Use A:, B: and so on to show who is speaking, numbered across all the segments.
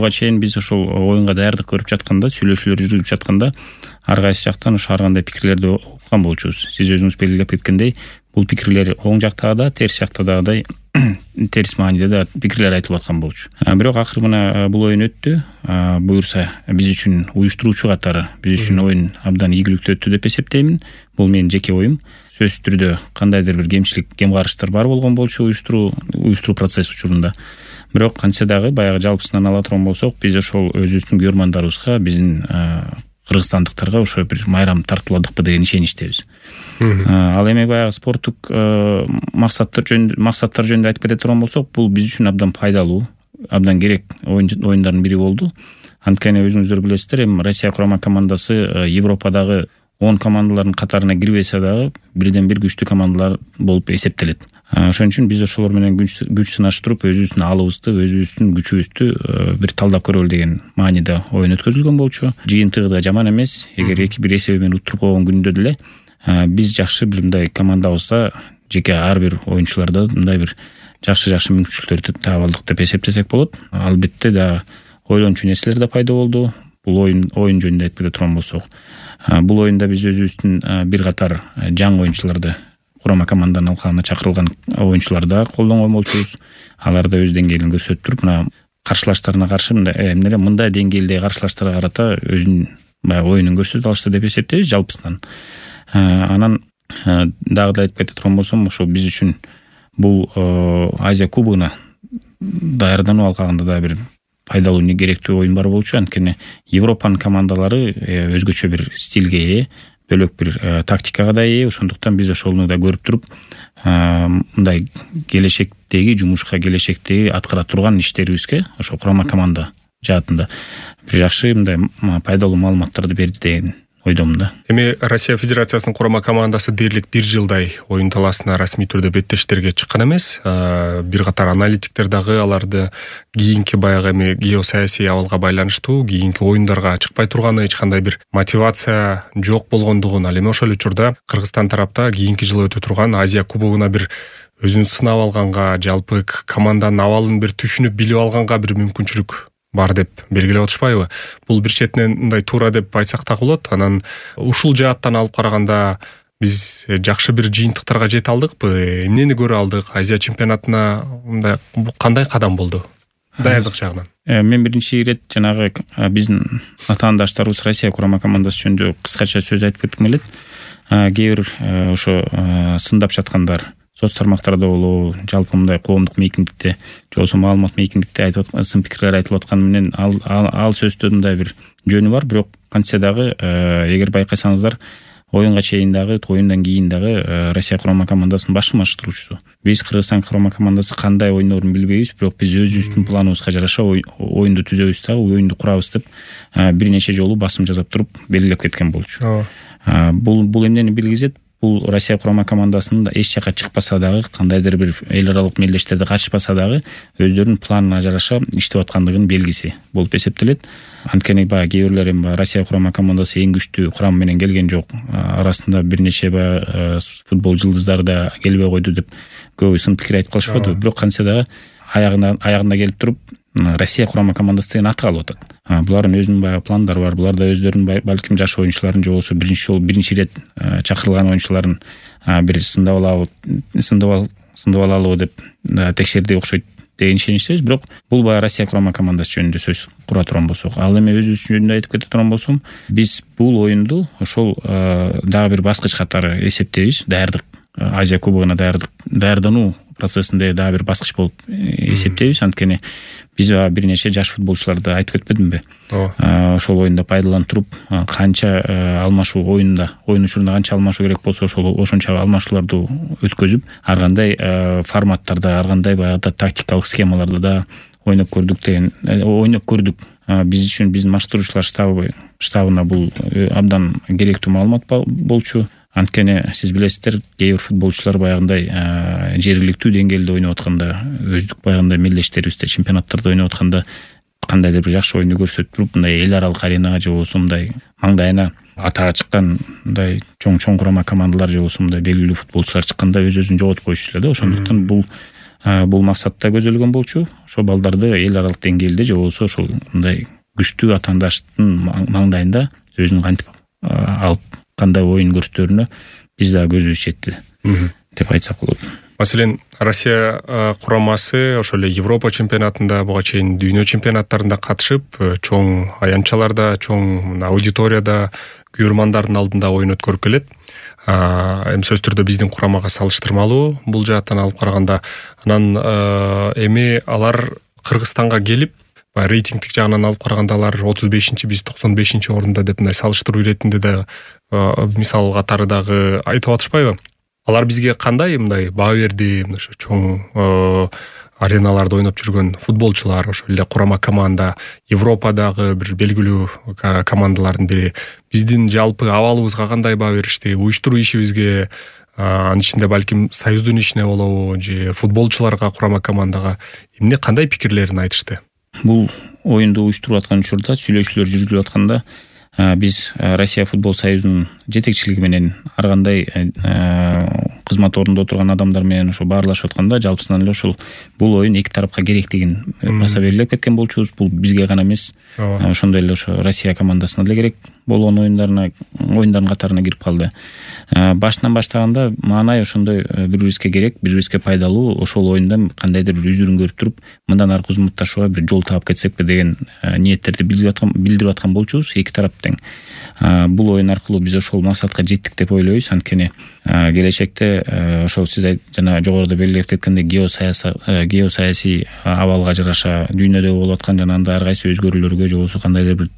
A: буга чейин биз ошол оюнга даярдык көрүп жатканда, сүйлөшүүлөр жүргүзүп жатканда ар кайсы жактан ошо ар кандай пикирлерди уккан болчубуз. Сиз өзүңүз белгилеп кеткендей, бул пикирлер оң жактагы да, терс жактагыдай терс мааниде да пикирлер айтылып аткан болчу. Бирок акыры мына бул оюн өттү. Буюрса биз үчүн уюштуруучу катары биз үчүн оюн абдан ийгиликтүү өттү деп эсептеймин. Бул менин жеке оюм. Сөзсүз түрдө кандайдыр бир кем карыштар бар болгон болчу уюштуруу процесс учурунда. Бирок кантсе дагы баягы жалпысынан ала турган болсок, биз ошол өзүбүздүн көрөрмандарыбызга, биздин кыргызстандыктарга ошо бир майрам тартууладыкпы деген ишеничтебиз. Ал эми баягы спорттук максаттар жөнүндө айтып кете турган болсок, бул биз үчүн абдан пайдалуу, абдан керек оюндардын бири болду. Анткени өзүңүздөр билесиздер, эми Россия курама командасы Европадагы 10 командалардын катарына кирбесе дагы бирден бир күчтүү командалар болуп эсептелет. Ошон үчүн биз ошолор менен күч сынаштырып, өзүбүздүн алыбызды, өзүбүздүн күчүбүздү бир талдап көрөлү деген мааниде оюн өткөзүлгөн болчу. Жыйынтыгы да жаман эмес. Эгер 2-1 эсеби менен утуруп койгон күндө деле биз жакшы бир мындай командабызда жеке ар бир оюнчуларда мындай бир жакшы мүмкүнчүлүктөрдү таап алдык деп эсептесек болот. Албетте да ойлончу нерселер да пайда болду. Бул оюн жөнүндө айтып кете турган болсок, бул оюнда биз өзүбүздүн бир катар жаңы оюнчуларды, курама команданын алкагына чакырылган оюнчуларды колдонгон болчубуз. Алар да өз деңгээлин көрсөтүп туруп, мына каршылаштарына каршы мындай деңгээлдеги каршылаштарга карата өзүнүн баягы оюнун көрсөтө алышты деп эсептейбиз жалпысынан. Анан дагы да айтып кете турган болсом, ошо биз үчүн бул Азия кубогуна даярдануу алкагында да бир пайдалуу, керектүү оюн бар болчу. Анткени Европанын командалары өзгөчө бир стилге ээ, бөлөк бир тактикага да ээ. Ошондуктан биз ошону да көрүп туруп, мындай келечектеги жумушка, келечектеги аткара турган иштерибизге ошо курама команда жаатында бир жакшы мындай пайдалуу маалыматтарды берди деген ойдомун да.
B: Эми Россия Федерациясынын курама командасы дээрлик 1 жылдай оюн талаасына расмий түрдө беттештерге чыккан эмес. Бир катар аналитиктер дагы аларды кийинки баягы эми геосаясий абалга байланыштуу кийинки оюндарга чыкпай турганы, эч кандай бир мотивация жок болгондугун, ал эми ошол учурда Кыргызстан тарапта кийинки жылы өтө турган Азия кубогуна бир өзүн сынап алганга, жалпы команданын абалын бир түшүнүп билип алганга бир мүмкүнчүлүк бар деп белгилеп атышпайбы? Бул бир четинен мындай туура деп айтсак так болот. Анан ушул жааттан алып караганда биз жакшы бир жыйынтыктарга жете алдыкпы? Эмнени көрө алдык? Азия чемпионатына мындай кандай кадам болду даярдык жагынан?
A: Мен биринчи ирет жанагы биздин атаандаштарыбыз Россия курама командасы жөнүндө кыскача сөз айтып кетким келет. Кээ бир ошо сындап жаткандар соц тармактарда болобу, жалпы мындай коомдук мейкиндикте, же болбосо маалымат мейкиндикте айтып аткан сын пикирлер айтылып атканы менен ал сөздө мындай бир жөнү бар. Бирок кантсе дагы эгер байкасаңыздар, оюнга чейин дагы, оюндан кийин дагы Россия курама командасынын башкы машыктыруучусу. Биз Кыргызстан курама командасы кандай ойнорун билбейбиз, бирок биз өзүбүздүн планыбызга жараша оюнду түзөбүз дагы, оюнду курабыз деп бир нече жолу басым жасап туруп белгилеп кеткен болчу. Бул эмнени билгизет? Бул Россия курама командасынын эч жака чыкпаса дагы, кандайдыр бир эл аралык мелдештерде катышпаса дагы, өздөрүнүн планына жараша иштеп аткандыгынын белгиси болуп эсептелет. Анткени баягы кээ бирлер эми Россия курама командасы эң күчтүү курам менен келген жок, арасында бир нече футбол жылдыздары да келбей койду деп көбү сын пикир айтып калышпады. Бирок кантсе дагы аягында келип туруп Россия курама командасы деген аты калып атат. Булардын өзүнүн баягы пландары бар. Буларда өздөрүнүн балким жаш оюнчуларын, же болбосо биринчи ирет чакырылган оюнчуларын бир сындап алалыбы деп текшерди окшойт деген ишеничтебиз. Бирок бул баягы Россия курама командасы жөнүндө сөз кура турган болсок, ал эми өзүбүз жөнүндө айтып кете турган болсом, биз бул оюнду ошол дагы бир баскыч катары эсептейбиз. Даярдык, Азия кубогуна даярдануу процессинде дагы бир баскыч болуп эсептейбиз. Анткени биз бир нече жаш футболчуларды айтып кетпедимби? Ошол оюнда пайдаланып туруп, канча алмашуу оюн учурунда канча алмашуу керек болсо, ошончо алмашууларды өткөзүп, ар кандай форматтарда, ар кандай баягы тактикалык схемаларда да ойноп көрдүк. Биз үчүн биздин машыктыруучулар штабына бул абдан керектүү маалымат болчу. Анткени сиз билесиздер, кээ бир футболчулар баягындай жергиликтүү деңгээлде ойноп атканда, өздүк баягындай мелдештерибизде чемпионаттарда ойноп атканда кандайдыр бир жакшы оюнду көрсөтүп туруп, мындай эл аралык аренага, же болбосо мындай маңдайына атага чыккан мындай чоң курама командалар, же болбосо мындай белгилүү футболчулар чыкканда өз-өзүн жоготуп коюшу эле да. Ошондуктан бул бул максатта көзделгөн болчу. Ошо балдарды эл аралык деңгээлде же болбосо ошол мындай күчтүү атаандаштын маңдайында өзүн кантип алып кандай оюн көрсөтөрүнө биз дагы көзүбүз жетти деп айтсак болот.
B: Маселен, Россия курамасы ошол эле Европа чемпионатында, буга чейин дүйнө чемпионаттарында катышып, чоң аянтчаларда, чоң аудиторияда, күйөрмандардын алдында оюн өткөрүп келет. Эми сөзсүз түрдө биздин курамага салыштырмалуу бул жааттан алып караганда. Анан эми алар Кыргызстанга келип, рейтингдик жагынан алып караганда алар 35-чи, биз 95-чи орунда деп мындай салыштыруу иретинде да мисал катары дагы айтып атышпайбы? Алар бизге кандай мындай баа берди? Ошо чоң ареналарда ойноп жүргөн футболчулар, ошол эле курама команда, Европадагы бир белгилүү командалардын бири. Биздин жалпы абалыбызга кандай баа беришти? Уюштуруу ишибизге, анын ичинде балким союздун ишине болобу же футболчуларга, курама командага эмне кандай пикирлерин айтышты?
A: Бул оюнду уюштуруп аткан учурда, сүйлөшүүлөр жүргүзүлүп атканда биз Россия футбол союзунун жетекчилиги менен ар кандай кызмат орунда отурган адамдар менен ошо баарлашып атканда жалпысынан эле ошол бул оюн эки тарапка керектигин баса белгилеп кеткен болчубуз. Бул бизге гана эмес, ошондой эле ошо Россия командасына деле керек болгон оюндардын катарына кирип калды. Башынан баштаганда маанай ошондой бири-бирибизге керек, бири-бирибизге пайдалуу ошол оюнда кандайдыр бир үзүрүн көрүп туруп, мындан аркы кызматташууга бир жол таап кетсекпи деген ниеттерди билдирип аткан болчубуз эки тарап тең. Бул оюн аркылуу биз ошол максатка жеттик деп ойлойбуз. Анткени келечекте ошол сиз жана жогоруда белгилеп кеткендей геосаясий абалга жараша дүйнөдө болуп аткан жана анда ар кайсы өзгөрүүлөргө же болбосо кандайдыр бир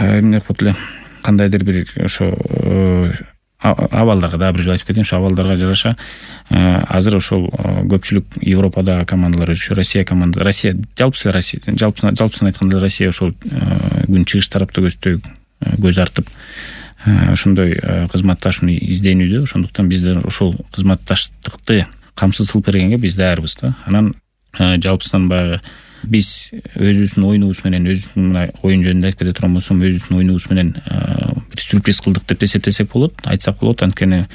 A: эмне кылып эле кандайдыр бир ошо абалдарга дагы бир жолу айтып кетейин, ошо абалдарга жараша азыр ошол көпчүлүк Европадагы командалар өзүчө Россия жалпысын айтканда Россия ошол күн чыгыш тарапта көз артып ошондой кызматташууну изденүүдө. Ошондуктан биздер ошол кызматташтыкты камсыз кылып бергенге биз даярбыз да. Анан жалпысынан баягы биз өзүбүздүн оюнубуз менен, өзүбүздүн оюн жөнүндө айтып кете турган болсом, өзүбүздүн оюнубуз менен бир сюрприз кылдык деп эсептесек болот, айтсак болот. Анткени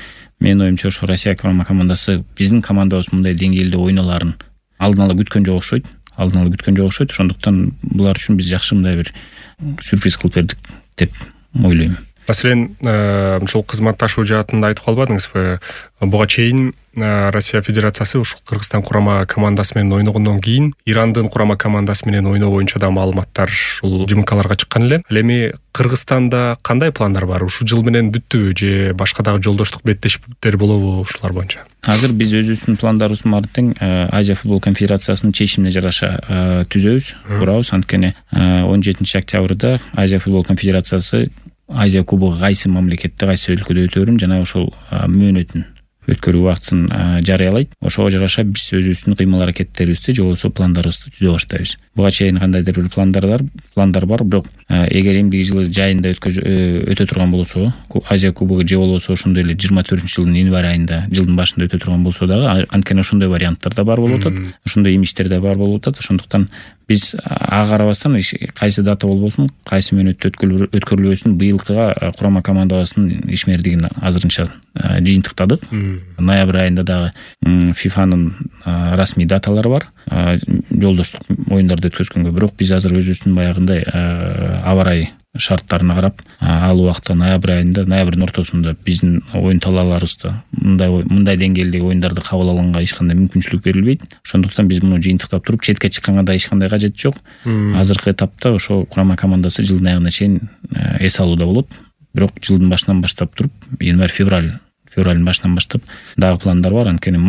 A: менин оюмча ошо Россия командасы биздин командабыз мындай деңгээлде ойноларын алдын ала күткөн жок окшойт. Ошондуктан булар үчүн биз жакшы мындай бир сюрприз кылып бердик деп ойлойм.
B: Маселен, ушул кызматташуу жаатында айтып калбадыңызбы? Буга чейин Россия Федерациясы ушул Кыргызстан курама командасы менен ойногондон кийин Ирандын курама командасы менен ойноо боюнча да маалыматтар ушул ЖМКларга чыккан эле. Ал эми Кыргызстанда кандай пландар бар? Ушул жыл менен бүттүбү же башка дагы жолдоштук беттешиптер болобу ушулар боюнча? Азыр
A: биз өзүбүздүн пландарыбыздын баарын тең Азия футбол конфедерациясынын чечимине жараша түзөбүз, курабыз. Анткени 17 октябрда Азия футбол конфедерациясы Азия кубогу кайсы мамлекетте, кайсы өлкөдө өтөөрүн жана ошол мөөнөтүн өткөрүү убактысын жарыялайт. Ошого жараша биз өзүбүздүн кыймыл аракеттерибизди же болбосо пландарыбызды түзө баштайбыз. Буга чейин кандайдыр бир пландар бар, бирок эгер эмдиги жылы жайында өтө турган болсо, Азия кубогу же болбосо ошондой эле 24-жылдын январь айында, жылдын башында өтө турган болсо дагы, анткени ошондой варианттар да бар болуп атат, ошондой имиштер да бар болуп атат. Ошондуктан биз ага карабастан кайсы дата болбосун, кайсы мөөнөттө өткөрүлөсүн быйылкыга курама командабыздын ишмердигин азырынча жыйынтыктадык. Ноябрь айында дагы ФИФАнын расмий даталары бар жолдоштук оюндарды өткөзгөнгө. Бирок биз азыр өзүбүздүн баягындай аба ырайы шарттарына карап, ал убакта ноябрдын ортосунда биздин оюн талааларыбызды мындай деңгээлдеги оюндарды кабыл алганга эч кандай мүмкүнчүлүк берилбейт. Ошондуктан биз муну жыйынтыктап туруп, четке чыкканга да эч кандай кажети жок. Азыркы этапта ошо курама командасы жылдын аягына чейин эс алууда болот. Бирок жылдын башынан баштап туруп, январь-февралдын башынан баштап дагы пландар бар. Анткени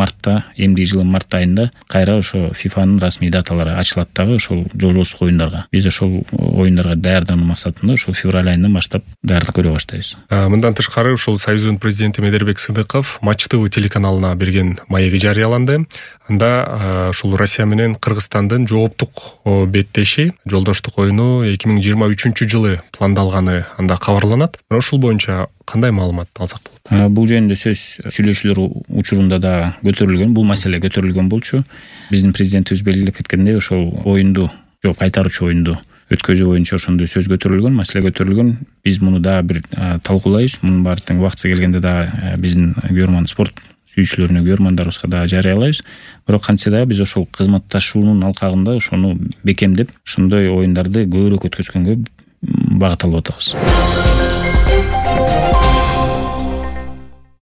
A: эмдиги жылдын март айында кайра ошо ФИФАнын расмий даталары ачылат дагы ошол жолдоштук оюндарга. Биз ошол оюндарга даярдануу максатында ошол февраль айынан баштап даярдык көрө баштайбыз.
B: Мындан тышкары ушул Союздун президенти Медербек Сыдыков Матч ТВ телеканалына берген маеги жарыяланды. Анда ушул Россия менен Кыргызстандын жооптук беттеши, жолдоштук оюну 2023-жылы пландалганы анда кабарланат. Ошол боюнча кандай маалымат алсак болот?
A: Бул жөнүндө сөз сүйлөшүүлөр учурунда да көтөрүлгөн, бул маселе көтөрүлгөн болчу. Биздин президентибиз белгилеп кеткендей, ошол кайтаруучу оюнду өткөзүү боюнча ошондой сөз көтөрүлгөн, маселе көтөрүлгөн. Биз муну дагы бир талкуулайбыз. Мунун баары тең убактысы келгенде дагы биздин күйөрман спорт сүйүүчүлөрүнө, көрөрмандарыбызга дагы жарыялайбыз. Бирок кантсе дагы биз ошол кызматташуунун алкагында ошону бекемдеп, ошондой оюндарды көбүрөөк өткөзгөнгө багыт алып атабыз.